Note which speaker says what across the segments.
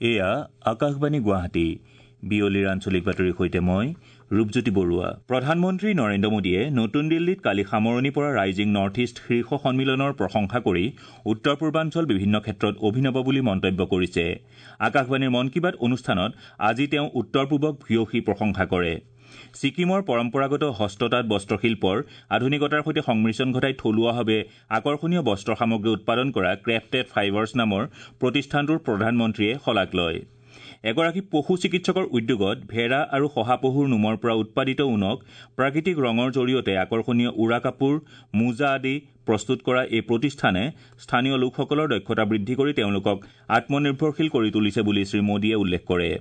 Speaker 1: এয়া আকাশবাণী গুৱাহাটী। বিয়লিৰ আঞ্চলিক বাতৰিৰ সৈতে মই ৰূপজ্যোতি বৰুৱা। প্ৰধানমন্ত্ৰী নৰেন্দ্ৰ মোদীয়ে নতুন দিল্লীত কালি সামৰণি পৰা ৰাইজিং নৰ্থ ইষ্ট শীৰ্ষ সন্মিলনৰ প্ৰশংসা কৰি উত্তৰ পূৰ্বাঞ্চল বিভিন্ন ক্ষেত্ৰত অভিনৱ বুলি মন্তব্য কৰিছে। আকাশবাণীৰ মন কী বাত অনুষ্ঠানত আজি তেওঁ উত্তৰ পূবক ভূয়সী প্ৰশংসা কৰে। ছিকিমৰ পৰম্পৰাগত হস্ততাঁত বস্ত্ৰশিল্পৰ আধুনিকতাৰ সৈতে সংমিশ্ৰণ ঘটাই থলুৱাভাৱে আকৰ্ষণীয় বস্ত্ৰ সামগ্ৰী উৎপাদন কৰা ক্ৰেফটেড ফাইবাৰ্ছ নামৰ প্ৰতিষ্ঠানটোৰ প্ৰধানমন্ত্ৰীয়ে শলাগ লয়। এগৰাকী পশু চিকিৎসকৰ উদ্যোগত ভেড়া আৰু শহাপহুৰ নোমৰ পৰা উৎপাদিত ঊণক প্ৰাকৃতিক ৰঙৰ জৰিয়তে আকৰ্ষণীয় উৰা কাপোৰ, মোজা আদি প্ৰস্তুত কৰা এই প্ৰতিষ্ঠানে স্থানীয় লোকসকলৰ দক্ষতা বৃদ্ধি কৰি তেওঁলোকক আত্মনিৰ্ভৰশীল কৰি তুলিছে বুলি শ্ৰীমোদীয়ে উল্লেখ কৰে।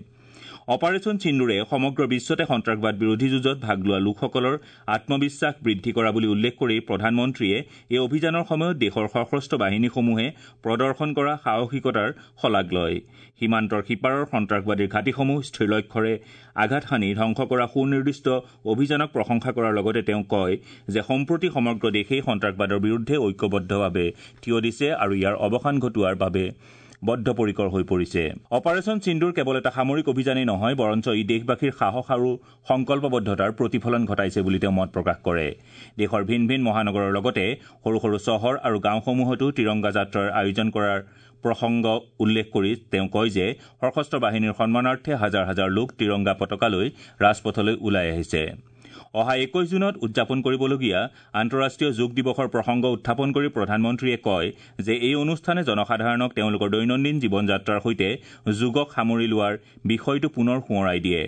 Speaker 1: অপাৰেচন সিন্দুৰে সমগ্ৰ বিশ্বতে সন্ত্ৰাসবাদ বিৰোধী যুঁজত ভাগ লোৱা লোকসকলৰ আত্মবিশ্বাস বৃদ্ধি কৰা বুলি উল্লেখ কৰি প্ৰধানমন্ত্ৰীয়ে এই অভিযানৰ সময়ত দেশৰ সশস্ত্ৰ বাহিনীসমূহে প্ৰদৰ্শন কৰা সাহসিকতাৰ শলাগ লয়। সীমান্তৰ সিপাৰৰ সন্ত্ৰাসবাদীৰ ঘাটিসমূহ স্থিৰ লক্ষ্যৰে আঘাত হানি ধ্বংস কৰা সুনিৰ্দিষ্ট অভিযানক প্ৰশংসা কৰাৰ লগতে তেওঁ কয় যে সম্প্ৰতি সমগ্ৰ দেশেই সন্ত্ৰাসবাদৰ বিৰুদ্ধে ঐক্যবদ্ধভাৱে থিয় দিছে আৰু ইয়াৰ অৱসান ঘটোৱাৰ বাবে বদ্ধপৰিকৰ হৈ পৰিছে। অপাৰেচন সিন্দুৰ কেৱল এটা সামৰিক অভিযানেই নহয়, বৰঞ্চ ই দেশবাসীৰ সাহস আৰু সংকল্পবদ্ধতাৰ প্ৰতিফলন ঘটাইছে বুলি তেওঁ মত প্ৰকাশ কৰে। দেশৰ ভিন ভিন মহানগৰৰ লগতে সৰু সৰু চহৰ আৰু গাঁওসমূহতো তিৰংগা যাত্ৰাৰ আয়োজন কৰাৰ প্ৰসংগ উল্লেখ কৰি তেওঁ কয় যে সশস্ত্ৰ বাহিনীৰ সন্মানাৰ্থে হাজাৰ হাজাৰ লোক তিৰংগা পতাকা লৈ ৰাজপথলৈ ওলাই আহিছে। অহা 21 জুনত উদযাপন কৰিবলগীয়া আন্তঃৰাষ্ট্ৰীয় যোগ দিৱসৰ প্ৰসংগ উত্থাপন কৰি প্ৰধানমন্ত্ৰীয়ে কয় যে এই অনুষ্ঠানে জনসাধাৰণক তেওঁলোকৰ দৈনন্দিন জীৱন যাত্ৰাৰ সৈতে যোগক সামৰি লোৱাৰ বিষয়টো পুনৰ সোঁৱৰাই দিয়ে।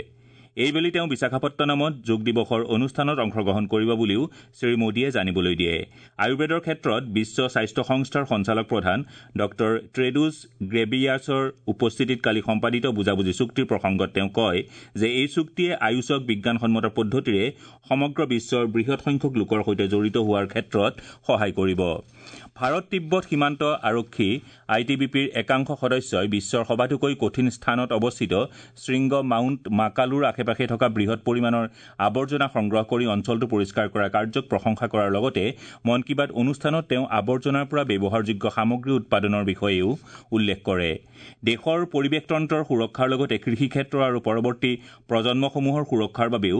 Speaker 1: এইবেলি তেওঁ বিশাখাপট্টনমত যোগ দিৱসৰ অনুষ্ঠানত অংশগ্ৰহণ কৰিব বুলিও শ্ৰীমোদীয়ে জানিবলৈ দিয়ে। আয়ুৰ্বেদৰ ক্ষেত্ৰত বিশ্ব স্বাস্থ্য সংস্থাৰ সঞ্চালক প্ৰধান ডঃ ট্ৰেডুছ গ্ৰেবিয়াছৰ উপস্থিতিত কালি সম্পাদিত বুজাবুজি চুক্তিৰ প্ৰসংগত তেওঁ কয় যে এই চুক্তিয়ে আয়ুষক বিজ্ঞানসন্মত পদ্ধতিৰে সমগ্ৰ বিশ্বৰ বৃহৎ সংখ্যক লোকৰ সৈতে জড়িত হোৱাৰ ক্ষেত্ৰত সহায় কৰিব। ভাৰত তিব্বত সীমান্ত আৰক্ষী I T B পিৰ একাংশ সদস্যই বিশ্বৰ সবাতোকৈ কঠিন স্থানত অৱস্থিত শৃংগ মাউণ্ট মাকালুৰ আশে পাশে থকা বৃহৎ পৰিমাণৰ আৱৰ্জনা সংগ্ৰহ কৰি অঞ্চলটো পৰিষ্কাৰ কৰা কাৰ্যক প্ৰশংসা কৰাৰ লগতে মন কী বাত অনুষ্ঠানত তেওঁ আৱৰ্জনাৰ পৰা ব্যৱহাৰযোগ্য সামগ্ৰী উৎপাদনৰ বিষয়েও উল্লেখ কৰে। দেশৰ পৰিৱেশতন্ত্ৰৰ সুৰক্ষাৰ লগতে কৃষি ক্ষেত্ৰ আৰু পৰৱৰ্তী প্ৰজন্মসমূহৰ সুৰক্ষাৰ বাবেও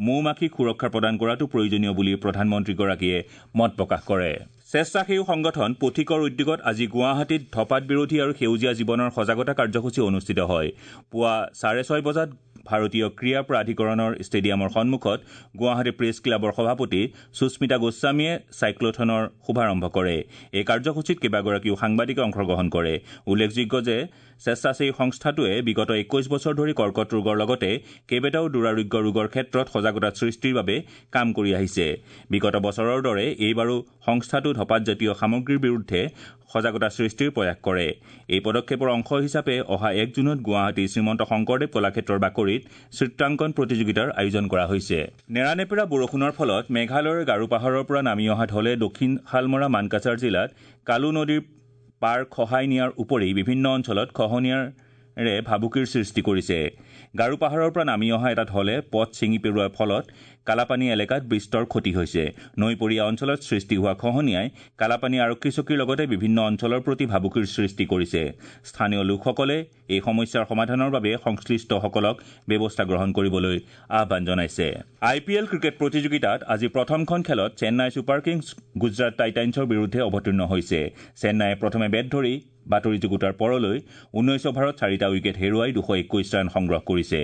Speaker 1: মৌ মাখিক সুৰক্ষা প্ৰদান কৰাটো প্ৰয়োজনীয় বুলি প্ৰধানমন্ত্ৰীগৰাকীয়ে মত প্ৰকাশ কৰে। স্বেচ্ছাসেৱী সংগঠন পথিকৰ উদ্যোগত আজি গুৱাহাটীত ধপাত বিৰোধী আৰু সেউজীয়া জীৱনৰ সজাগতা কাৰ্যসূচী অনুষ্ঠিত হয়। পুৱা 6:30 বজাত ভাৰতীয় ক্ৰীড়া প্ৰাধিকৰণৰ ষ্টেডিয়ামৰ সন্মুখত গুৱাহাটী প্ৰেছ ক্লাবৰ সভাপতি সুস্মিতা গোস্বামীয়ে চাইক্লথনৰ শুভাৰম্ভ কৰে। এই কাৰ্যসূচীত কেইবাগৰাকীও সাংবাদিকে অংশগ্ৰহণ কৰে। উল্লেখযোগ্য যে স্বেচ্ছাসেৱী সংস্থাটোৱে বিগত 21 বছৰ ধৰি কৰ্কট ৰোগৰ লগতে কেইবাটাও দুৰাৰোগ্য ৰোগৰ ক্ষেত্ৰত সজাগতা সৃষ্টিৰ বাবে কাম কৰি আহিছে। বিগত বছৰৰ দৰে এইবাৰো সংস্থাটো ধপাতজাতীয় সামগ্ৰীৰ বিৰুদ্ধে সজাগতা সৃষ্টিৰ প্ৰয়াস কৰে। এই পদক্ষেপৰ অংশ হিচাপে অহা 1 জুনত গুৱাহাটী শ্ৰীমন্ত শংকৰদেৱ কলাক্ষেত্ৰৰ বাকৰিত চিত্ৰাংকন প্ৰতিযোগিতাৰ আয়োজন কৰা হৈছে। নেৰানেপেৰা বৰষুণৰ ফলত মেঘালয়ৰ গাৰো পাহাৰৰ পৰা নামি অহা ঢলে দক্ষিণ শালমৰা মানকাছাৰ জিলাত কালু নদীৰ পাৰ খহাই নিয়াৰ উপৰি বিভিন্ন অঞ্চলত খহনীয়াৰে ভাবুকিৰ সৃষ্টি কৰিছে। গাৰো পাহাৰৰ পৰা নামি অহা এটা ঢলে পথ ছিঙি পেলোৱাৰ ফলত কালাপানী এলেকাত বিস্তৰ ক্ষতি হৈছে। নৈপৰীয়া অঞ্চলত সৃষ্টি হোৱা খহনীয়াই কালাপানী আৰক্ষী চকীৰ লগতে বিভিন্ন অঞ্চলৰ প্ৰতি ভাবুকিৰ সৃষ্টি কৰিছে। স্থানীয় লোকসকলে এই সমস্যাৰ সমাধানৰ বাবে সংশ্লিষ্টসকলক ব্যৱস্থা গ্ৰহণ কৰিবলৈ আহ্বান জনাইছে। আই পি এল ক্ৰিকেট প্ৰতিযোগিতাত আজি প্ৰথমখন খেলত চেন্নাই ছুপাৰ কিংছ গুজৰাট টাইটানছৰ বিৰুদ্ধে অৱতীৰ্ণ হৈছে। চেন্নাইয়ে প্ৰথমে বেট ধৰি বাতৰি যুগুতাৰ পৰলৈ 19 অভাৰত 4টা উইকেট হেৰুৱাই 221 ৰান সংগ্ৰহ কৰিছে।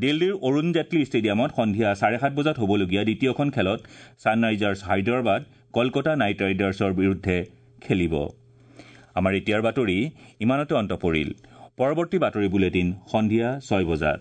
Speaker 1: দিল্লীৰ অৰুণ জেটলী ষ্টেডিয়ামত সন্ধিয়া 7:30 বজাত হ'বলগীয়া দ্বিতীয়খন খেলত ছানৰাইজাৰ্ছ হায়দৰাবাদ কলকাতা নাইট ৰাইডাৰ্ছৰ বিৰুদ্ধে খেলিব। আমাৰ এতিয়াৰ বাতৰি ইমানতে অন্ত পৰিল। পৰৱৰ্তী বাতৰি বুলেটিন সন্ধিয়া 6 বজাত।